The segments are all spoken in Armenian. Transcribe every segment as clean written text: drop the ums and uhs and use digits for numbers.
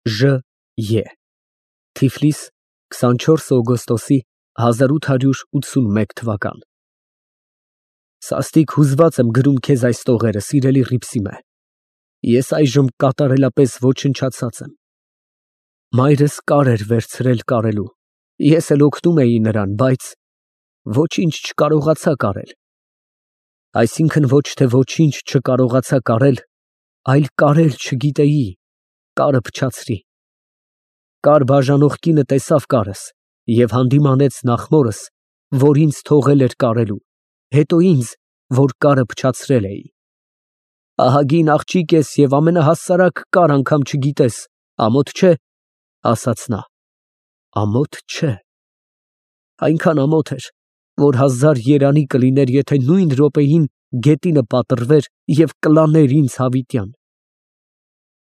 Ժ.Ե. Թիֆլիս 24 օգոստոսի 1881 թվական։ Սաստիկ հուզված եմ գրում քեզ այս տողերը, սիրելի Հռիփսիմե, ես այժմ կատարելապես ոչնչացած եմ։ Մայրս կար էր վերցրել կարելու, ես էլ օգնում էի նրան, բայց ոչինչ չկարողացա կարել։ Այսինքն ոչ թե ոչինչ չկարողացա կարել, այլ կարել չգիտեի, կարը փչացրի։ Կար բաժանող կինը տեսավ կարս և հանդիմանեց նախ մորս, որ ինձ թողել էր կարելու, հետո ինձ, որ կարը փչացրել էի։ Ահագին աղջիկ ես և ամենահասարակ կար անգամ չգիտես, ամոթ չէ, ասաց նա։ Ամոթ չէ։ Այնքան ամոթ էր, որ 1000 երանի կլիներ, եթե նույն րոպեին գետինը պատռվեր և կլաներ ինձ հավիտյան։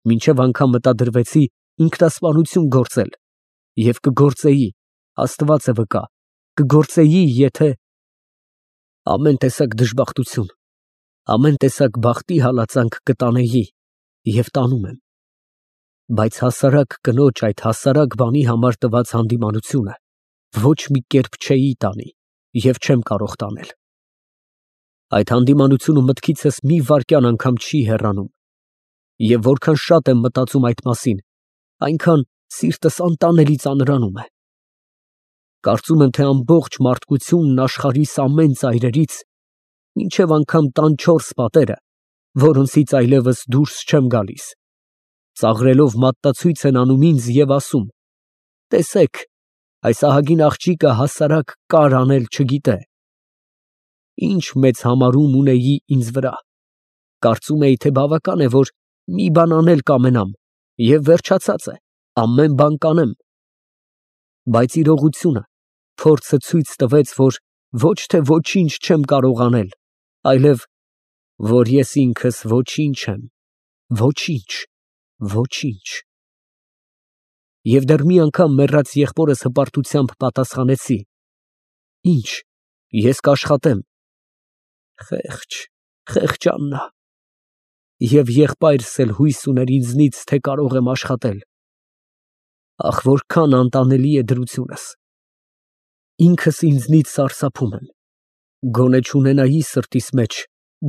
Մինչև անգամ մտադրվեցի ինքնասպանություն գործել և կգործեի, Աստված է վկա, կգործեի, եթե… Ամեն տեսակ դժբախտություն, ամեն տեսակ բախտի հալածանք կտանեի և տանում եմ, բայց հասարակ կնոջ այդ հասարակ բանի համար տված հանդիմանությունը ոչ մի կերպ չէի տանի և չեմ կարող տանել։ Այդ հանդիմանությունը մտքիցս մի վայրկյան անգամ չի հեռանում, և որքան շատ եմ մտածում այդ մասին, այնքան սիրտս անտանելի ծանրանում է։ Կարծում եմ, թե ամբողջ մարդկությունն աշխարհիս ամեն ծայրերից, մինչև անգամ տան 4 պատերը, որոնցից այլևս դուրս չեմ գալիս, ծաղրելով մատնացույց են անում ինձ և ասում. «Տեսեք, այս ահագին աղջիկը հասարակ կար անել չգիտե»։ Ինչ մեծ համարում ունեի ինձ վրա, կարծում էի, թե բավական է, որ մի բան անել կամենամ, և վերջացած է, ամեն բան կանեմ։ Բայց իրողությունը, փորձը ցույց տվեց, որ ոչ թե ոչինչ չեմ կարող անել, այլև, որ ես ինքս ոչինչ եմ, ոչինչ, ոչինչ։ Եվ դեռ մի անգամ մեռած եղբորս հպարտությամբ պատասխանեցի. «Ինչ, ես կաշխատեմ»։ Խեղճ, խեղճ Աննա։ Եվ եղբայրս էլ հույս ուներ ինձնից, թե կարող եմ աշխատել։ Ախ, որքան անտանելի է դրությունս։ Ինքս ինձնից սարսափում եմ, գոնե չունենայի սրտիս մեջ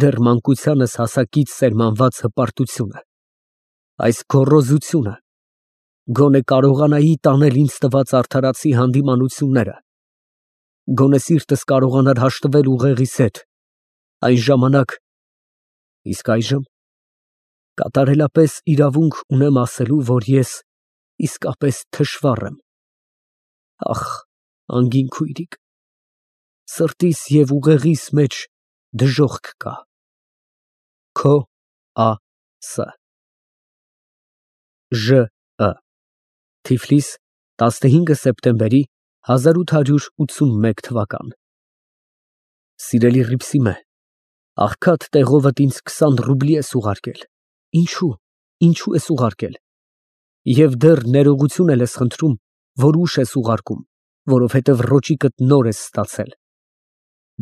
դեռ մանկությանս հասակից սերմանված հպարտությունը, այս գոռոզությունը, գոնե կարողանայի տանել ինձ տված արդարացի հանդիմանությունները, գոնե սիրտս կարողանար հաշտվել ուղեղիս հետ, այն ժամանակ… Իսկ այժմ կատարելապես իրավունք ունեմ ասելու, որ ես իսկապես թշվառ եմ։ Ախ, անգին քույրիկ, սրտիս և ուղեղիս մեջ դժոխք կա։ Քո Ա.Ս. Ժ.Ը. Թիֆլիս 15 սեպտեմբերի 1881 թվական։ Սիրելի Հռիփսիմե, աղքատ տեղովդ ինձ 20 ռուբլի ես ուղարկել։ Ինչո՞ւ, ինչո՞ւ ես ուղարկել։ Եվ դեռ ներողություն էլ ես խնդրում, որ ուշ ես ուղարկում, որովհետև ռոճիկդ նոր ես ստացել։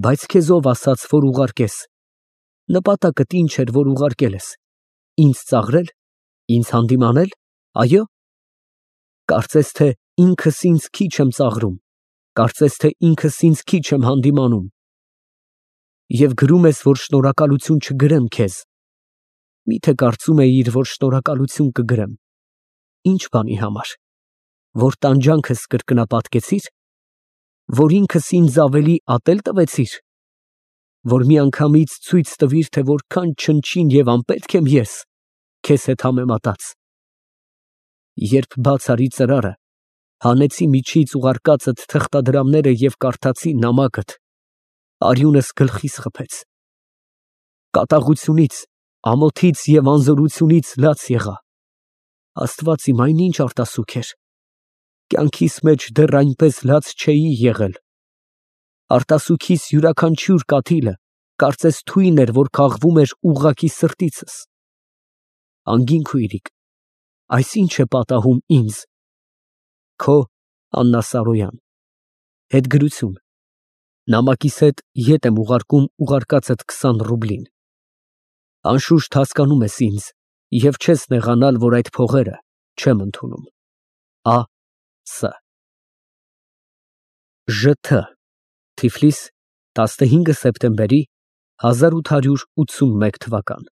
Բայց քեզ ով ասաց, որ ուղարկես։ Նպատակդ ինչ էր, որ ուղարկել ես։ Ինձ ծաղրել, ինձ հանդիմանել, այո՞։ Կարծես թե ինքս ինձ քիչ եմ ծաղրում, կարծես թե ինքս ինձ քիչ եմ հանդիմանում։ Եվ գրում ես, որ շնորհակալություն չգրեմ քեզ։ Մի՞թե կարծում էիր, որ շնորհակալություն կգրեմ։ Ինչ բանի համար, որ տանջանքս կրկնապատկեցի՞ր, որ ինքս ինձ ավելի ատել տվեցի՞ր, որ միանգամից ցույց տվիր, թե որքան չնչին և անպետք եմ ես քեզ հետ համեմատած։ Երբ բաց արի ծրարը, հանեցի միջից ուղարկածդ թղթադրամները և կարդացի նամակդ, արյունս գլխիս խփեց։ Կատաղությունից, ամոթից և անզորությունից լաց եղա։ Աստված իմ, այն ինչ արտասուք էր։ Կյանքիս մեջ դեռ այնպես լաց չէի եղել։ Արտասուքիս յուրաքանչյուր կաթիլը կարծես թույն էր, որ քաղվում էր ուղղակի սրտիցս։ Անգին քույրիկ, այս ի՞նչ է պատահում ինձ։ Քո Աննա Սարոյան։ Հետգրություն։ Նամակիս հետ ետ եմ ուղարկում ուղարկածդ 20 ռուբլին։ Անշուշտ հասկանում ես ինձ և չես նեղանալ, որ այդ փողերը չեմ ընդունում։ Ա. Ս. ԺԹ Թիֆլիս 15 սեպտեմբերի 1881 թվական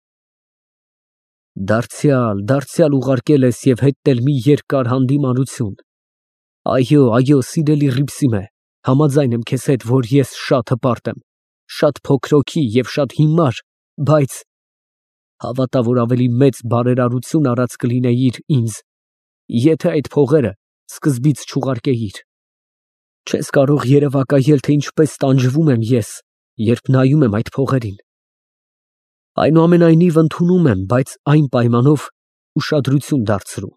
Դարձյալ ուղարկել ես և հետնել մի երկար հանդիմանություն։ Այո, սիրելի Հռիփսիմե, համաձայն եմ քեզ հետ, որ ես շատ հպարտ եմ, շատ փոքր հոգի և շատ հիմար, բայց հավատա, որ ավելի մեծ բարերարություն արած կլինեիր ինձ, եթե այդ փողերը սկզբից չուղարկեիր։ Չես կարող երևակայել, թե ինչպես տանջվում եմ ես, երբ նայում եմ այդ փողերին։ Այնուամենայնիվ ընդունում եմ, բայց այն պայմանով ուշադրություն դարձրու,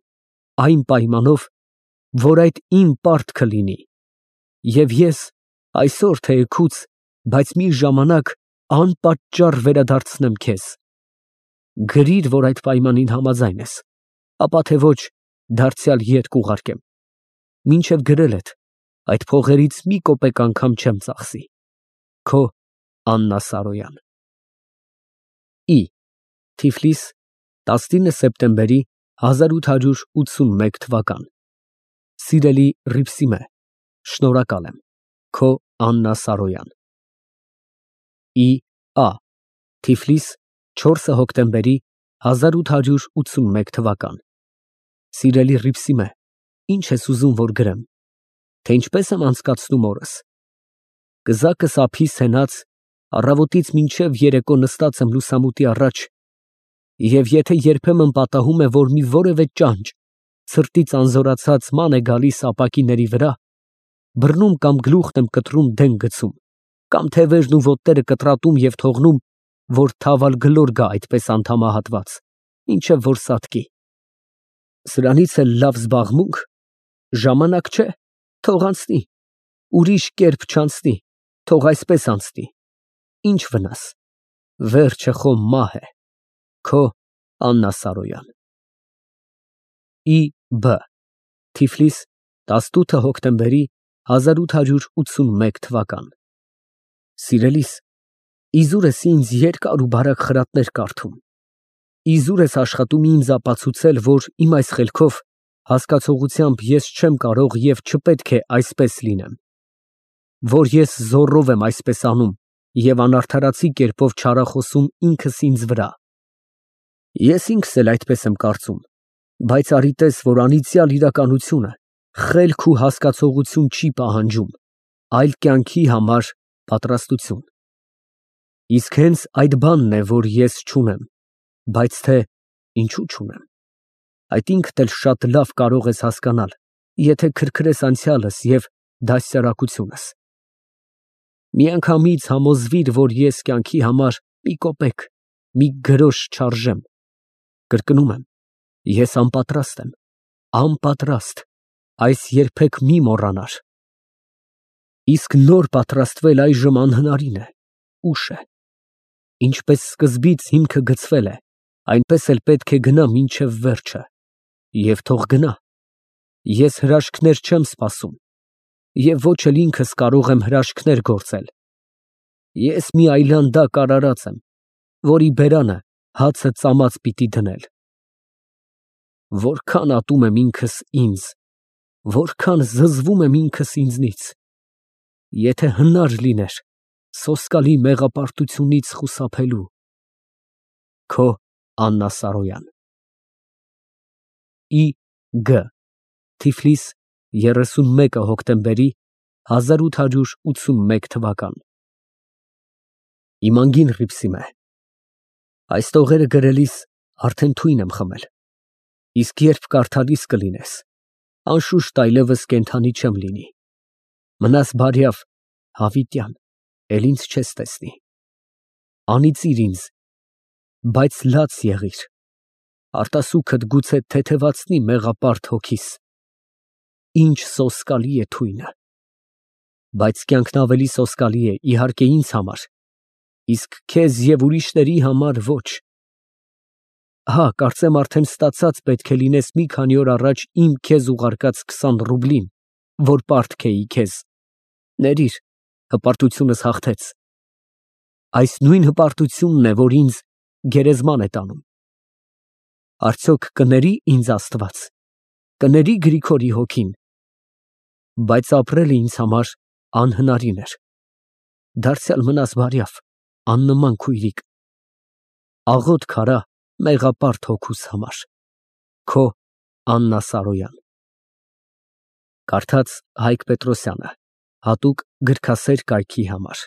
այն պայմանով, որ այդ իմ պարտքը լինի, և ես այսօր թեեքուց, բայց մի ժամանակ անպատճառ վերադարձնեմ քեզ։ Գրիր, որ այդ պայմանին համաձայն ես, ապա թե ոչ, դարձյալ ետ կուղարկեմ։ Մինչև գրելդ, այդ փողերից մի կոպեկ անգամ չեմ ծախսի։ Քո Աննա Սարոյան։ Ի Թիֆլիս 19 սեպտեմբերի 1881 թվական Սիրելի Հռիփսիմե, շնորհակալ եմ, քո Աննա Սարոյան։ Ի Ա Թիֆլիս 4 հոկտեմբերի 1881 թվական Սիրելի Հռիփսիմե, ինչ ես ուզում, որ գրեմ, թե ինչպես եմ անցկացնում օրս։ Կզակս ափիս հենած, առավոտից մինչև երեկո նստած եմ լուսամուտի առաջ, և եթե երբեմն պատահում է, որ մի որևէ ճանճ սրտից անզորացած ման է գալիս ապակիների վրա, բռնում կամ գլուխն եմ կտրում դեն գցում, կամ թևերն ու ոտները կտրատում և թողնում, որ թավալ գլոր գա այդպես անդամահատված, մինչև որ սատկի։ Սրանից էլ լավ զբաղմունք, ժամանակ չէ, թող անցնի, ուրիշ կերպ չանցնի, թող այսպես անցնի, ինչ վնաս, վերջը խո մահ է, քո Աննա Սարոյան։ Ի Բ Թիֆլիս 18 հոկտեմբերի 1881 թվական Սիրելիս, իզուր ես ինձ երկար ու բարակ խրատներ կարդում, իզուր ես աշխատում ինձ ապացուցել, որ իմ այս խելքով հասկացողությամբ ես չեմ կարող և չպետք է այսպես լինեմ, որ ես զոռով եմ այսպես անում և անարդարացի կերպով չարախոսում ինքս ինձ վրա։ Ես ինքս էլ այդպես եմ կարծում, բայց արի տես, որ անիծյալ իրականությունը խելք ու հասկացողություն չի պահանջում, այլ կյանքի համար պատրաստություն։ Իսկ հենց այդ բանն է, որ ես չունեմ, բայց թե ինչու չունեմ, այդ ինքդ էլ շատ լավ կարող ես հասկանալ, եթե քրքրես անցյալս և դաստիարակությունս։ Միանգամից համոզվիր, որ ես կյանքի համար մի կոպեկ, մի գրոշ չարժեմ։ Կրկնում եմ, ես անպատրաստ եմ, անպատրաստ, այս երբեք մի մոռանար։ Իսկ նոր պատրաստվել այժմ անհնարին է, ուշ է։ Ինչպես սկզբից հիմքը գցվել է, այնպես էլ պետք է գնա մինչև վերջը, և թող գնա։ Ես հրաշքներ չեմ սպասում, և ոչ էլ ինքս կարող եմ հրաշքներ գործել։ Ես մի այլանդակ արարած եմ, որի բերանը հացը ծամած պիտի դնել։ Որքան ատում եմ ինքս ինձ, որքան զզվում եմ ինքս ինձնից, եթե հնար լիներ սոսկալի մեղապարտությունից խուսափելու։ Քո Աննա Սարոյան։ Ի Գ Թիֆլիս 31 հոկտեմբերի 1881 թվական Իմ անգին Հռիփսիմե, այս տողերը գրելիս արդեն թույն եմ խմել, իսկ երբ կարդալիս կլինես, անշուշտ այլևս կենդանի չեմ լինի։ Մնաս բարյավ, հավիտյան, էլ ինձ չես տեսնի։ Անիծիր ինձ, բայց լաց եղիր, արտասուքդ գուցե թեթևացնի մեղապարտ հոգիս։ Ինչ սոսկալի է թույնը։ Բայց կյանքն ավելի սոսկալի է, իհարկե, ինձ համար, իսկ քեզ և ուրիշների համար ոչ։ Հա, կարծեմ արդեն ստացած պետք է լինես մի քանի օր առաջ իմ քեզ ուղարկած 20 ռուբլին, որ պարտք էի քեզ։ Ներիր, հպարտությունս հաղթեց։ Այս նույն հպարտությունն է, որ ինձ գերեզման է տանում։ Արդյոք կների ինձ Աստված, կների Գրիգորի հոգին, բայց ապրելը ինձ համար անհնարին էր, դարձյալ մնաս բարյավ, աննման քույրիկ, աղոթք արա մեղապարտ հոգուս համար, քո Աննա Սարոյան։ Կարդաց Հայկ Պետրոսյանը, հատուկ գրքասեր կայքի համար։